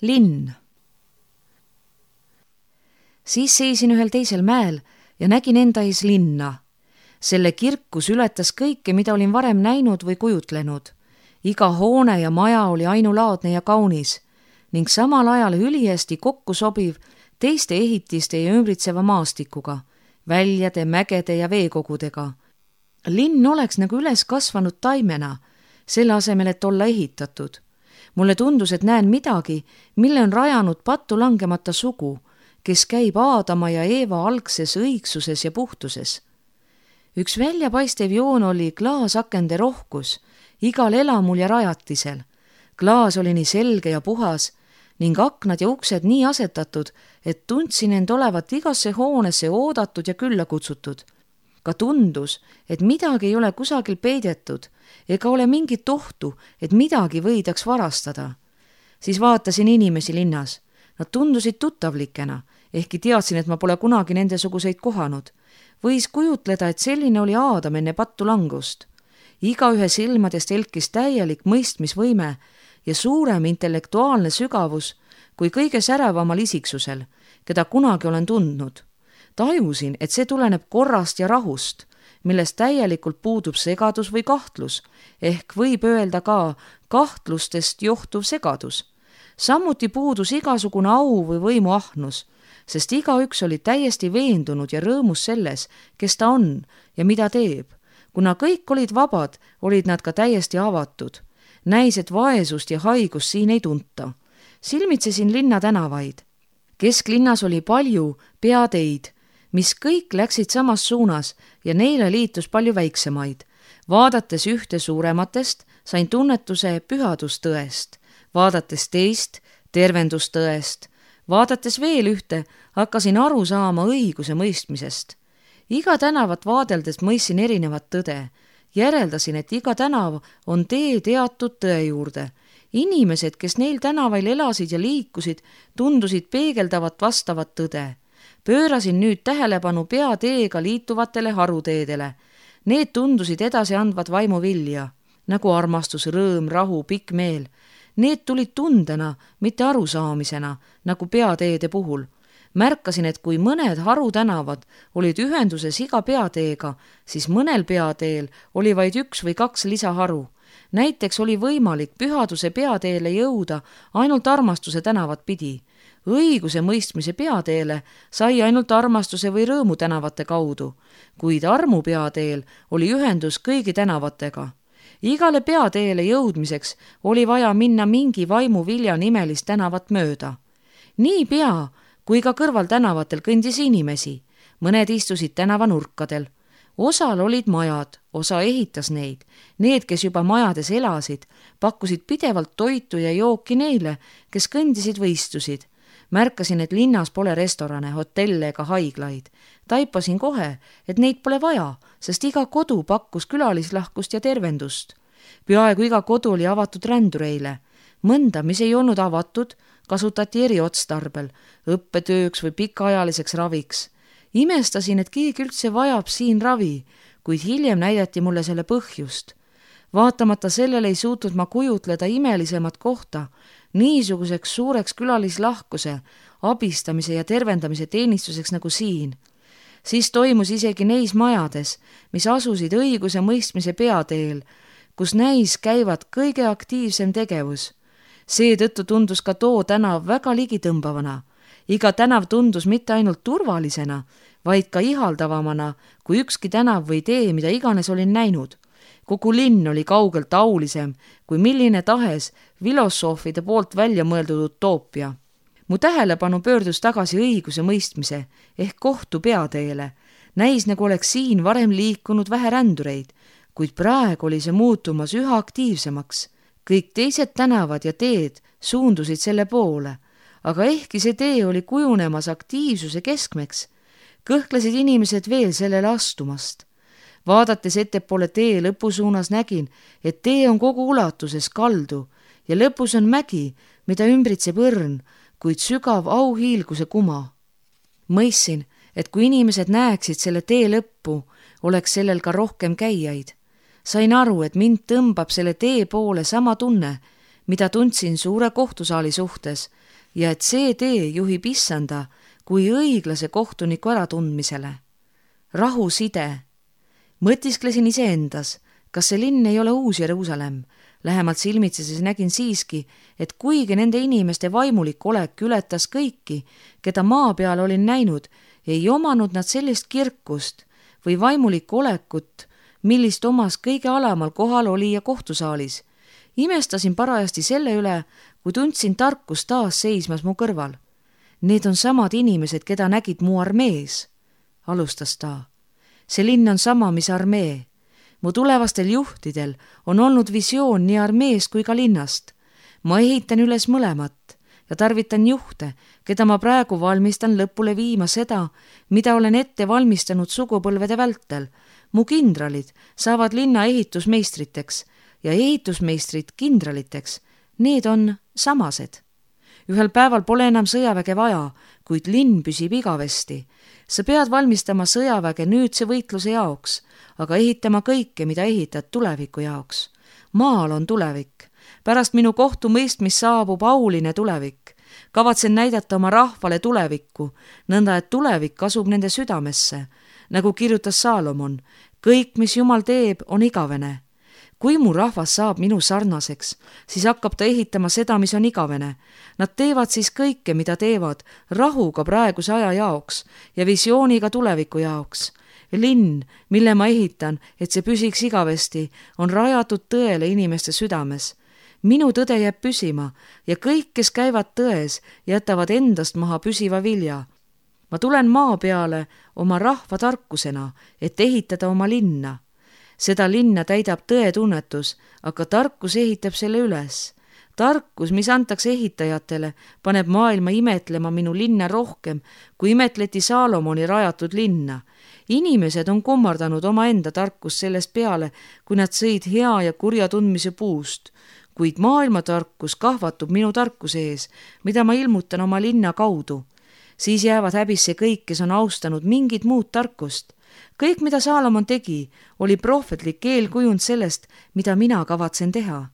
Linn. Siis seisin ühel teisel mäel ja nägin enda ees linna. Selle kirkus ületas kõike, mida olin varem näinud või kujutlenud. Iga hoone ja maja oli ainulaadne ja kaunis ning samal ajal ülihästi kokku sobiv teiste ehitiste ja ümbritseva maastikuga, väljade, mägede ja veekogudega. Linn oleks nagu üles kasvanud taimena, selle asemel, et olla ehitatud. Mulle tundus, et näen midagi, mille on rajanud pattu langemata sugu, kes käib Aadama ja Eeva algses õigsuses ja puhtuses. Üks väljapaistev joon oli klaasakende rohkus, igal elamul ja rajatisel. Klaas oli nii selge ja puhas ning aknad ja uksed nii asetatud, et tundsin end olevat igasse hoonesse oodatud ja külla kutsutud. Ka tundus, et midagi ei ole kusagil peidetud ega ole mingit ohtu, et midagi võidaks varastada. Siis vaatasin inimesi linnas. Nad tundusid tuttavlikena, ehkki teadsin, et ma pole kunagi nendesuguseid kohanud. Võis kujutleda, et selline oli Aadam enne pattu langust. Igaühe silmadest elkis täielik mõistmisvõime ja suurem intellektuaalne sügavus kui kõige särevamal isiksusel, keda kunagi olen tundnud. Tajusin, et see tuleneb korrast ja rahust, millest täielikult puudub segadus või kahtlus, ehk võib öelda ka kahtlustest johtuv segadus. Samuti puudus igasugune au või võimu ahnus, sest igaüks oli täiesti veendunud ja rõõmus selles, kes ta on ja mida teeb. Kuna kõik olid vabad, olid nad ka täiesti avatud. Näis, et vaesust ja haigust siin ei tunta. Silmitsesin linna tänavaid. Kesklinnas oli palju peateid, mis kõik läksid samas suunas ja neile liitus palju väiksemaid. Vaadates ühte suurematest, sain tunnetuse pühadustõest, vaadates teist tervendustõest, vaadates veel ühte, hakkasin aru saama õiguse mõistmisest. Iga tänavat vaadeldes mõistsin erinevat tõde. Järeldasin, et iga tänav on tee teatud tõe juurde. Inimesed, kes neil tänavail elasid ja liikusid, tundusid peegeldavat vastavat tõde. Pöörasin nüüd tähelepanu peateega liituvatele haruteedele. Need tundusid edasi andvat vaimuvilja, nagu armastus, rõõm, rahu, pikk meel. Need tulid tundena, mitte arusaamisena, nagu peateede puhul. Märkasin, et kui mõned harutänavad olid ühenduses iga peateega, siis mõnel peateel oli vaid 1 või 2 lisaharu. Näiteks oli võimalik pühaduse peateele jõuda ainult armastuse tänavat pidi. Õiguse mõistmise peateele sai ainult armastuse või rõõmu tänavate kaudu, kuid armu peateel oli ühendus kõigi tänavatega. Igale peateele jõudmiseks oli vaja minna mingi vaimuvilja nimelist tänavat mööda. Nii pea, kui ka kõrval tänavatel kõndis inimesi. Mõned istusid tänavanurkadel. Osal olid majad, osa ehitas neid. Need, kes juba majades elasid, pakkusid pidevalt toitu ja jooki neile, kes kõndisid või istusid. Märkasin, et linnas pole restorane, hotelle ega haiglaid. Taipasin kohe, et neid pole vaja, sest iga kodu pakkus külalislahkust ja tervendust. Peaaegu iga kodu oli avatud rändureile. Mõnda, mis ei olnud avatud, kasutati eriotstarbel, õppetööks või pikaajaliseks raviks. Imestasin, et keegi üldse vajab siin ravi, kuid hiljem näidati mulle selle põhjust. Vaatamata sellele ei suutnud ma kujutleda imelisemat kohta, niisuguseks suureks külalislahkuse, abistamise ja tervendamise teenistuseks nagu siin. Siis toimus isegi neis majades, mis asusid õiguse mõistmise peateel, kus näis käivad kõige aktiivsem tegevus. Seetõttu tundus ka too tänav väga ligitõmbavana. Iga tänav tundus mitte ainult turvalisena, vaid ka ihaldavamana kui ükski tänav või tee, mida iganes olin näinud. Kogu linn oli kaugelt aulisem kui milline tahes filosoofide poolt välja mõeldud utoopia. Mu tähelepanu pöördus tagasi õiguse mõistmise ehk kohtu peateele. Näis, nagu oleks siin varem liikunud vähe rändureid, kuid praegu oli see muutumas üha aktiivsemaks. Kõik teised tänavad ja teed suundusid selle poole, aga ehkki see tee oli kujunemas aktiivsuse keskmeks, kõhklesid inimesed veel sellele astumast. Vaadates ettepoole tee lõpusuunas nägin, et tee on kogu ulatuses kaldu ja lõpus on mägi, mida ümbritseb õrn, kuid sügav auhiilguse kuma. Mõistsin, et kui inimesed näeksid selle tee lõppu, oleks sellel ka rohkem käijaid. Sain aru, et mind tõmbab selle tee poole sama tunne, mida tundsin suure kohtusaali suhtes ja et see tee juhib issanda kui õiglase kohtuniku äratundmisele. Rahuside. Mõtisklesin iseendas, kas see linn ei ole uus Jeruusalemm. Lähemalt silmitsedes nägin siiski, et kuigi nende inimeste vaimulik olek ületas kõiki, keda maa peal olin näinud, ei omanud nad sellist kirkust või vaimulikku olekut, millist omas kõige alamal kohal oli ja kohtusaalis. Imestasin parajasti selle üle, kui tundsin tarkust taas seismas mu kõrval. Need on samad inimesed, keda nägid mu armees, alustas ta. See linn on sama, mis armee. Mu tulevastel juhtidel on olnud visioon nii armeest kui ka linnast. Ma ehitan üles mõlemat ja tarvitan juhte, keda ma praegu valmistan lõpule viima seda, mida olen ette valmistanud sugupõlvede vältel. Mu kindralid saavad linna ehitusmeistriteks ja ehitusmeistrid kindraliteks. Need on samased. Ühel päeval pole enam sõjaväge vaja, kuid linn püsib igavesti. Sa pead valmistama sõjaväge nüüdse võitluse jaoks, aga ehitama kõike, mida ehitad tuleviku jaoks. Maal on tulevik. Pärast minu kohtumõistmist saabub auline tulevik. Kavatsen näidata oma rahvale tulevikku, nõnda et tulevik asub nende südamesse. Nagu kirjutas Saalomon, kõik, mis Jumal teeb, on igavene. Kui mu rahvas saab minu sarnaseks, siis hakkab ta ehitama seda, mis on igavene. Nad teevad siis kõike, mida teevad, rahuga praeguse aja jaoks ja visiooniga tuleviku jaoks. Linn, mille ma ehitan, et see püsiks igavesti, on rajatud tõele inimeste südames. Minu tõde jääb püsima ja kõik, kes käivad tões, jätavad endast maha püsiva vilja. Ma tulen maa peale oma rahva tarkusena, et ehitada oma linna. Seda linna täidab tõetunnetus, aga tarkus ehitab selle üles. Tarkus, mis antakse ehitajatele, paneb maailma imetlema minu linna rohkem, kui imetleti Saalomoni rajatud linna. Inimesed on kummardanud omaenda tarkust sellest peale, kui nad sõid hea ja kurja tundmise puust. Kuid maailma tarkus kahvatub minu tarkuse ees, mida ma ilmutan oma linna kaudu. Siis jäävad häbisse kõik, kes on austanud mingit muud tarkust. Kõik, mida Saalomon tegi, oli prohvetlik eelkujund sellest, mida mina kavatsen teha.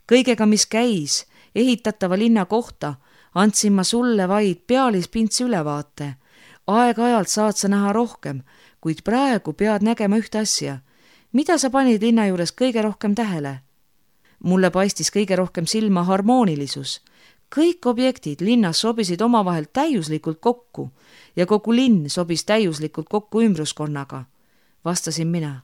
Kõigega, mis käis ehitatava linna kohta, andsin ma sulle vaid pealispintse ülevaate. Aeg-ajalt saad sa näha rohkem, kuid praegu pead nägema ühte asja. Mida sa panid linna juures kõige rohkem tähele? Mulle paistis kõige rohkem silma harmoonilisus. Kõik objektid linnas sobisid omavahel täiuslikult kokku ja kogu linn sobis täiuslikult kokku ümbruskonnaga. Vastasin mina.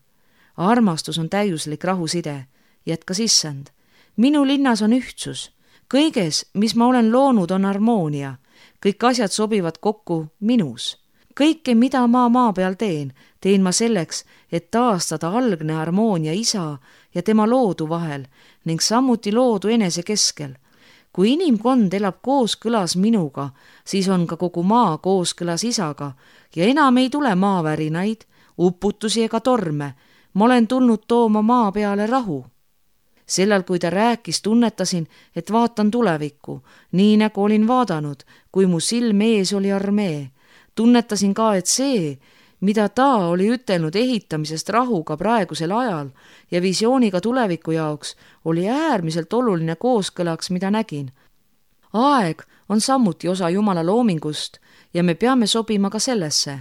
Armastus on täiuslik rahuside, jätkas issand. Minu linnas on ühtsus. Kõiges, mis ma olen loonud, on harmoonia. Kõik asjad sobivad kokku minus. Kõike, mida ma maa peal teen ma selleks, et taastada algne harmoonia isa ja tema loodu vahel ning samuti loodu enese keskel. Kui inimkond elab kooskõlas minuga, siis on ka kogu maa kooskõlas isaga ja enam ei tule maavärinaid, uputusi ega torme. Ma olen tulnud tooma maa peale rahu. Sellal, kui ta rääkis, tunnetasin, et vaatan tulevikku, nii nagu olin vaadanud, kui mu silm ees oli armee. Tunnetasin ka, et see, mida ta oli ütelnud ehitamisest rahuga praegusel ajal ja visiooniga tuleviku jaoks, oli äärmiselt oluline kooskõlaks, mida nägin. Aeg on samuti osa Jumala loomingust ja me peame sobima ka sellesse.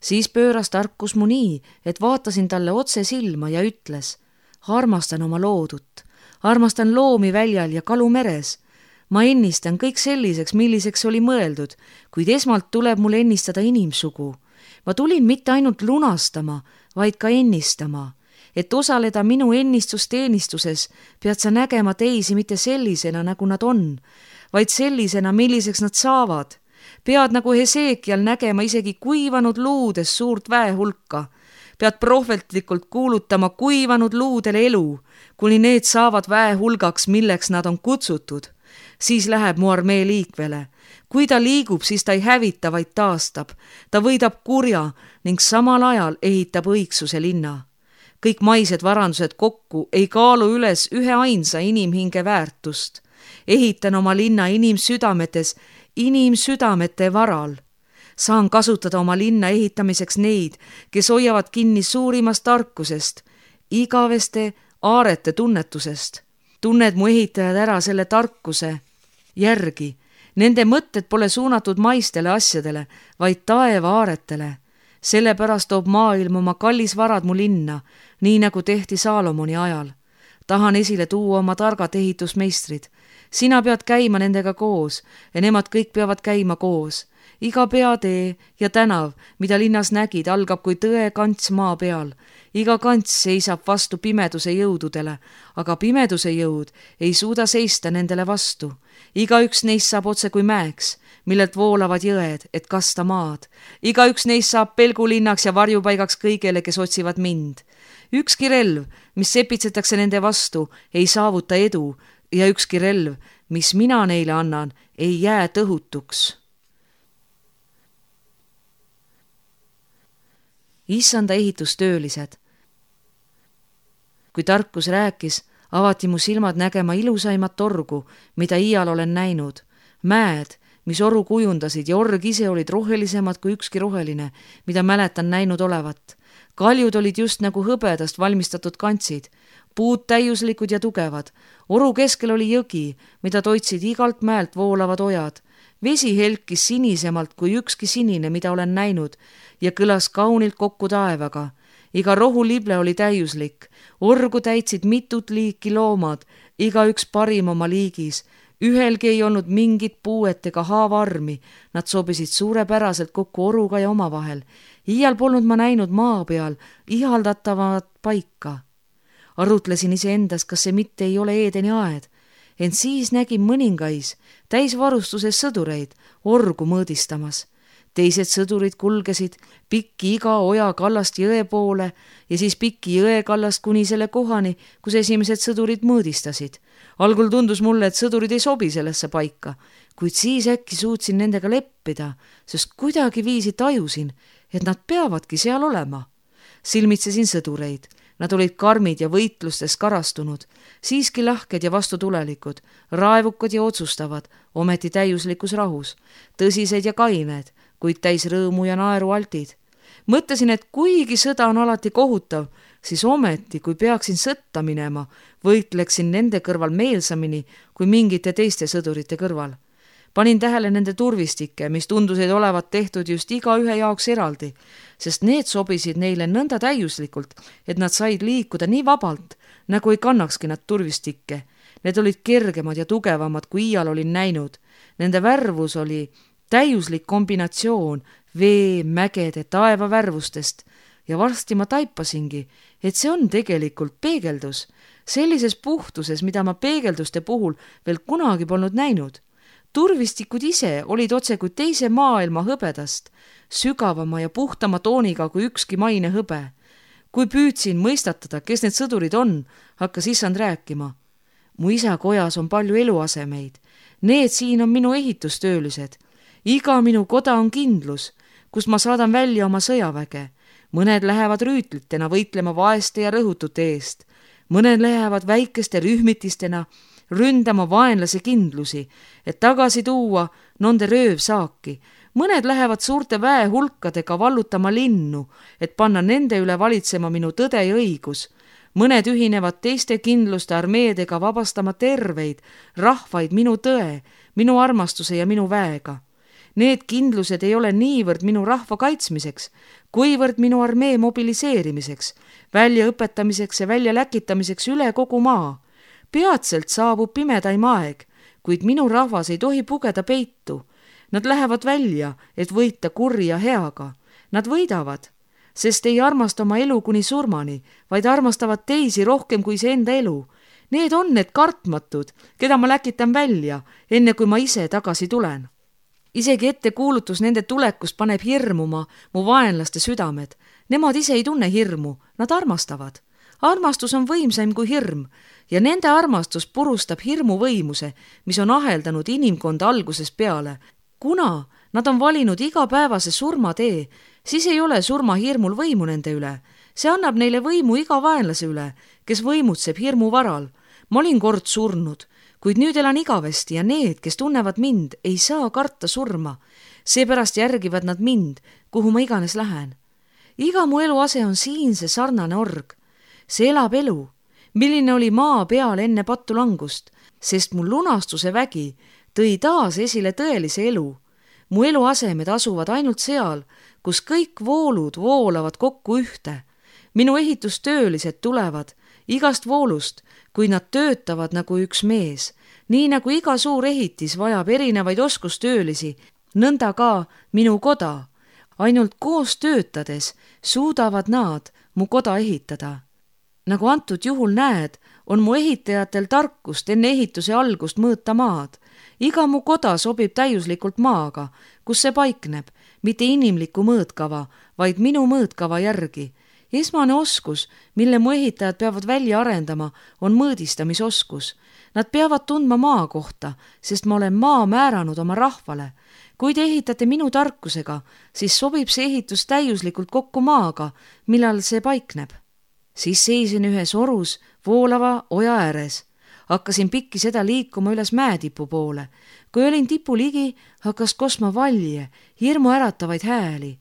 Siis pööras tarkus mu nii, et vaatasin talle otse silma ja ütles, armastan oma loodut, armastan loomi väljal ja kalu meres. Ma ennistan kõik selliseks, milliseks oli mõeldud, kuid esmalt tuleb mul ennistada inimsugu. Ma tulin mitte ainult lunastama, vaid ka ennistama. Et osaleda minu ennistusteenistuses, pead sa nägema teisi mitte sellisena, nagu nad on, vaid sellisena, milliseks nad saavad. Pead nagu Hesekial nägema isegi kuivanud luudes suurt väehulka. Pead prohvetlikult kuulutama kuivanud luudele elu, kuni need saavad väehulgaks, milleks nad on kutsutud. Siis läheb mu armee liikvele. Kui ta liigub, siis ta ei hävita, vaid taastab. Ta võidab kurja ning samal ajal ehitab õigsuse linna. Kõik maised varandused kokku ei kaalu üles ühe ainsa inimhinge väärtust. Ehitan oma linna inimsüdametes, inimsüdamete varal. Saan kasutada oma linna ehitamiseks neid, kes hoiavad kinni suurimast tarkusest, igaveste aarete tunnetusest. tunned mu ehitajad ära selle tarkuse järgi. Nende mõtted pole suunatud maistele asjadele, vaid taevaaretele. Sellepärast toob maailm oma kallisvarad mu linna, nii nagu tehti Saalomoni ajal. Tahan esile tuua oma targad ehitusmeistrid. Sina pead käima nendega koos ja nemad kõik peavad käima koos. Iga peatee ja tänav, mida linnas nägid, algab kui tõe kants maa peal. Iga kants seisab vastu pimeduse jõududele, aga pimeduse jõud ei suuda seista nendele vastu. Igaüks neist saab otse kui mäeks, millelt voolavad jõed, et kasta maad. Igaüks neist saab pelgulinnaks ja varjupaigaks kõigele, kes otsivad mind. Ükski relv, mis sepitsetakse nende vastu, ei saavuta edu ja ükski relv, mis mina neile annan, ei jää tõhutuks. Issanda ehitustöölised. Kui tarkus rääkis, avati mu silmad nägema ilusaimat orgu, mida iial olen näinud. Mäed, mis oru kujundasid ja org ise olid rohelisemad kui ükski roheline, mida mäletan näinud olevat. Kaljud olid just nagu hõbedast valmistatud kantsid, puud täiuslikud ja tugevad. Oru keskel oli jõgi, mida toitsid igalt mäelt voolavad ojad. Vesi helkis sinisemalt kui ükski sinine, mida olen näinud, ja kõlas kaunilt kokku taevaga. Iga rohulible oli täiuslik. Orgu täitsid mitut liiki loomad, igaüks parim oma liigis. Ühelgi ei olnud mingit puuet ega haavarmi. Nad sobisid suurepäraselt kokku oruga ja omavahel. Iial polnud ma näinud maa peal ihaldatavat paika. Arutlesin iseendas, kas see mitte ei ole Eedeni aed. Ent siis nägin mõningais täisvarustuses sõdureid orgu mõõdistamas. Teised sõdurid kulgesid pikki iga oja kallast jõe poole ja siis pikki jõe kallast kuni selle kohani, kus esimesed sõdurid mõõdistasid. Algul tundus mulle, et sõdurid ei sobi sellesse paika, kuid siis äkki suutsin nendega leppida, sest kuidagi viisi tajusin, et nad peavadki seal olema. Silmitsesin sõdureid. Nad olid karmid ja võitlustes karastunud, siiski lahked ja vastutulelikud, raevukad ja otsustavad, ometi täiuslikus rahus, tõsised ja kained, kuid täis rõõmu ja naeru altid. Mõtlesin, et kuigi sõda on alati kohutav, siis ometi, kui peaksin sõtta minema, võitleksin nende kõrval meelsamini kui mingite teiste sõdurite kõrval. Panin tähele nende turvistikke, mis tundusid olevat tehtud just iga ühe jaoks eraldi, sest need sobisid neile nõnda täiuslikult, et nad said liikuda nii vabalt, nagu ei kannakski nad turvistikke. Need olid kergemad ja tugevamad, kui iial olin näinud. Nende värvus oli täiuslik kombinatsioon vee, mägede, taeva värvustest ja varsti ma taipasingi, et see on tegelikult peegeldus, sellises puhtuses, mida ma peegelduste puhul veel kunagi polnud näinud. Turvistikud ise olid otse kui teise maailma hõbedast, sügavama ja puhtama tooniga kui ükski maine hõbe. Kui püüdsin mõistatada, kes need sõdurid on, hakkas issand rääkima. Mu isa kojas on palju eluasemeid. Need siin on minu ehitustöölised. Iga minu koda on kindlus, kust ma saadan välja oma sõjaväge. Mõned lähevad rüütlitena võitlema vaeste ja rõhutute eest. Mõned lähevad väikeste rühmitistena ründama vaenlase kindlusi, et tagasi tuua nende röövsaaki. Mõned lähevad suurte väehulkadega vallutama linnu, et panna nende üle valitsema minu tõde ja õigus. Mõned ühinevad teiste kindluste armeedega vabastama terveid rahvaid minu tõe, minu armastuse ja minu väega. Need kindlused ei ole niivõrd minu rahva kaitsmiseks, kuivõrd minu armee mobiliseerimiseks, väljaõpetamiseks ja väljaläkitamiseks üle kogu maa. Peatselt saabub pimedaim aeg, kuid minu rahvas ei tohi pugeda peitu. Nad lähevad välja, et võita kurja heaga. Nad võidavad, sest ei armasta oma elu kuni surmani, vaid armastavad teisi rohkem kui see enda elu. Need on need kartmatud, keda ma läkitan välja, enne kui ma ise tagasi tulen. Isegi ettekuulutus nende tulekust paneb hirmuma mu vaenlaste südamed. Nemad ise ei tunne hirmu, nad armastavad. Armastus on võimsaim kui hirm ja nende armastus purustab hirmu võimuse, mis on aheldanud inimkonda algusest peale. Kuna nad on valinud igapäevase surmatee, siis ei ole surmahirmul võimu nende üle. See annab neile võimu iga vaenlase üle, kes võimutseb hirmu varal. Ma olin kord surnud, kuid nüüd elan igavesti ja need, kes tunnevad mind, ei saa karta surma. Seepärast järgivad nad mind, kuhu ma iganes lähen. Iga mu eluase on siin see sarnane org. See elab elu. milline oli maa peal enne patulangust, sest mu lunastuse vägi tõi taas esile tõelise elu. Mu eluasemed asuvad ainult seal, kus kõik voolud voolavad kokku ühte. Minu ehitustöölised tulevad igast voolust, kui nad töötavad nagu üks mees. Nii nagu iga suur ehitis vajab erinevaid oskustöölisi, nõnda ka minu koda. Ainult koos töötades suudavad nad mu koda ehitada. Nagu antud juhul näed, on mu ehitajatel tarkust enne ehituse algust mõõta maad. Iga mu koda sobib täiuslikult maaga, kus see paikneb, mitte inimliku mõõtkava, vaid minu mõõtkava järgi. Esmane oskus, mille mu ehitajad peavad välja arendama, on mõõdistamisoskus. Nad peavad tundma maa kohta, sest ma olen maa määranud oma rahvale. Kui te ehitate minu tarkusega, siis sobib see ehitus täiuslikult kokku maaga, millal see paikneb. Siis seisin ühes orus voolava oja ääres. Hakkasin pikki seda liikuma üles mäetipu poole. Kui olin tipu ligi, hakkas kosma valje, hirmu äratavaid hääli.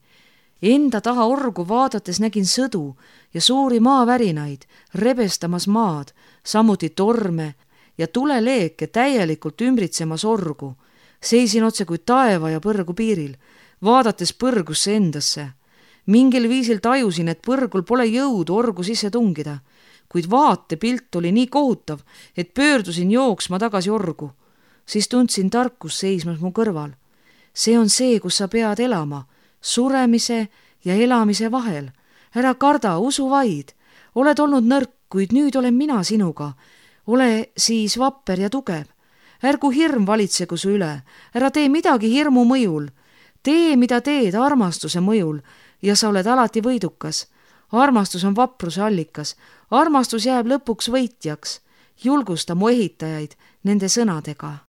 Enda taha orgu vaadates nägin sõdu ja suuri maavärinaid, rebestamas maad, samuti torme ja tuleleeke täielikult ümbritsemas orgu. Seisin otse kui taeva ja põrgu piiril, vaadates põrgusse endasse. Mingil viisil tajusin, et põrgul pole jõudu orgu sisse tungida, kuid vaatepilt oli nii kohutav, et pöördusin jooksma tagasi orgu. Siis tundsin tarkus seismas mu kõrval. See on see, kus sa pead elama, suremise ja elamise vahel. Ära karda, usu vaid. Oled olnud nõrk, kuid nüüd olen mina sinuga. Ole siis vapper ja tugev. Ärgu hirm valitsegu su üle. Ära tee midagi hirmu mõjul. Tee, mida teed armastuse mõjul ja sa oled alati võidukas. Armastus on vapruse allikas. Armastus jääb lõpuks võitjaks. Julgusta mu ehitajaid nende sõnadega.